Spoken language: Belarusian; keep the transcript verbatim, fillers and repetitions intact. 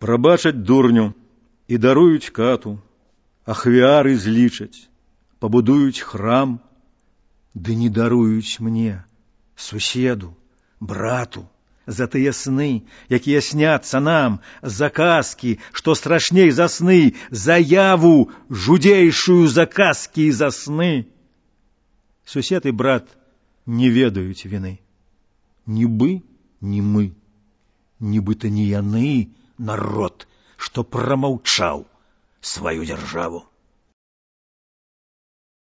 Прабачаць дурню і даруюць кату, ахвяры злічаць, пабудуюць храм, ды не даруюць мне, суседу, брату, за тыя сны, якія сняцца нам, за казкі, што страшней за сны, заяву жудзейшую за казкі і за сны. Сусед і брат не ведаюць віны. Нібы не мы, нібыта не яны, народ, што прамаўчаў сваю дзяржаву.